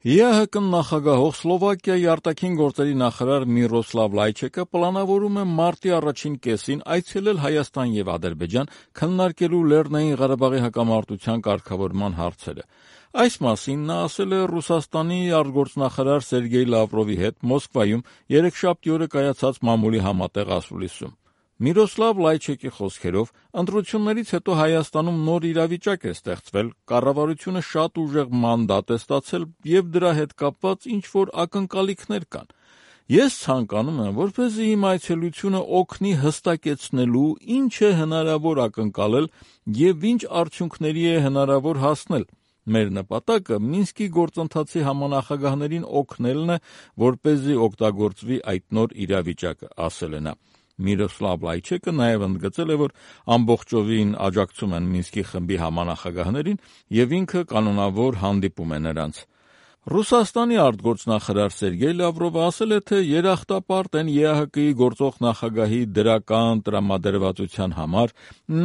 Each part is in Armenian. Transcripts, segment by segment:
ԵԱՀԿ նախագահող Սլովակիայի արտաքին գործերի նախարար Միրոսլավ Լայչեկը պլանավորում է մարտի առաջին կեսին այցելել Հայաստան եւ Ադրբեջան քննարկելու Լեռնային Ղարաբաղի հակամարտության կարգավորման հարցերը։ Այս մասին նա ասել է Ռուսաստանի արտգործնախարար Սերգեյ Լավրովի հետ Մոսկվայում երեքշաբթի օրը կայացած մամուլի համատեղ ասուլիսում։ Միրոսլավ Լայչեկի խոսքերով, ընտրություններից հետո Հայաստանում նոր իրավիճակ է ստեղծվել, կառավարությունը շատ ուժեղ մանդատ է ստացել եւ դրա հետ կապված ինչ-որ ակնկալիքներ կան։ Ես ցանկանում եմ, որպեսզի իմ այցելությունը օգնի հստակեցնելու, ինչ է հնարավոր ակնկալել եւ ինչ արդյունքների է հնարավոր հասնել։ Մեր նպատակը Մինսկի գործընթացի համանախագահներին օգնելն է, որպեսզի օգտագործվի այդ նոր իրավիճակը, ասել է նա։ Միրոսլավ Լայչեկը նաև ընդգծել է, որ ամբողջովին աջակցում են Մինսկի խմբի համանախագահներին եւ ինքը կանոնավոր հանդիպում է նրանց։ Ռուսաստանի արտգործնախարար Սերգեյ Լավրովը ասել է, թե երախտապարտ են ԵԱՀԿ-ի գործող նախագահի դրական տրամադրվածության համար։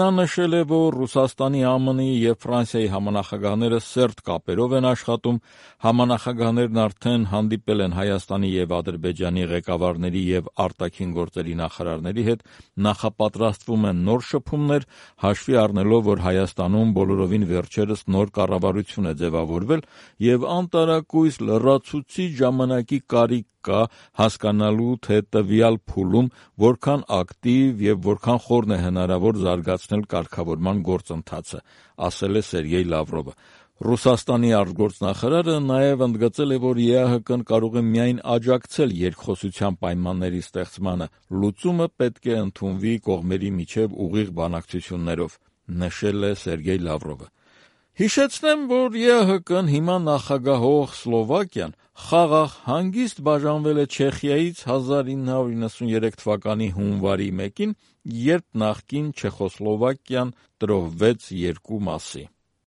Նա նշել է, որ Ռուսաստանի, ԱՄՆ-ի եւ Ֆրանսիայի համանախագահները սերտ կապերով են աշխատում։ Համանախագահներն արդեն հանդիպել են Հայաստանի եւ Ադրբեջանի ղեկավարների եւ արտաքին գործերի նախարարների հետ, նախապատրաստվում են նոր շփումներ, հաշվի առնելով, որ Հայաստանում բոլորովին վերջերս նոր կառավարություն է ձևավորվել եւ անտարակույս լրացուցիչ ժամանակի կարիք կա հասկանալու, թե տվյալ փուլում որքան ակտիվ եւ որքան խորն է հնարավոր զարգացնել կարգավորման գործընթացը, ասել է Սերգեյ Լավրովը։ Ռուսաստանի արտգործնախարարը նաև ընդգծել է, որ ԵԱՀԿ-ն կարող է միայն աջակցել երկխոսության պայմանների ստեղծմանը, լուծումը պետք է ընդունվի կողմերի միջև ուղիղ բանակցություններով, նշել է Սերգեյ Լավրովը։ Հիշեցնեմ, որ ԵԱՀԿ-ն հիմա նախագահող Սլովակիան խաղաղ հանգիստ բաժանվել է Չեխիայից 1993 թվականի հունվարի 1-ին, երբ նախկին Չեխոսլովակիան տրոհվեց երկու մասի։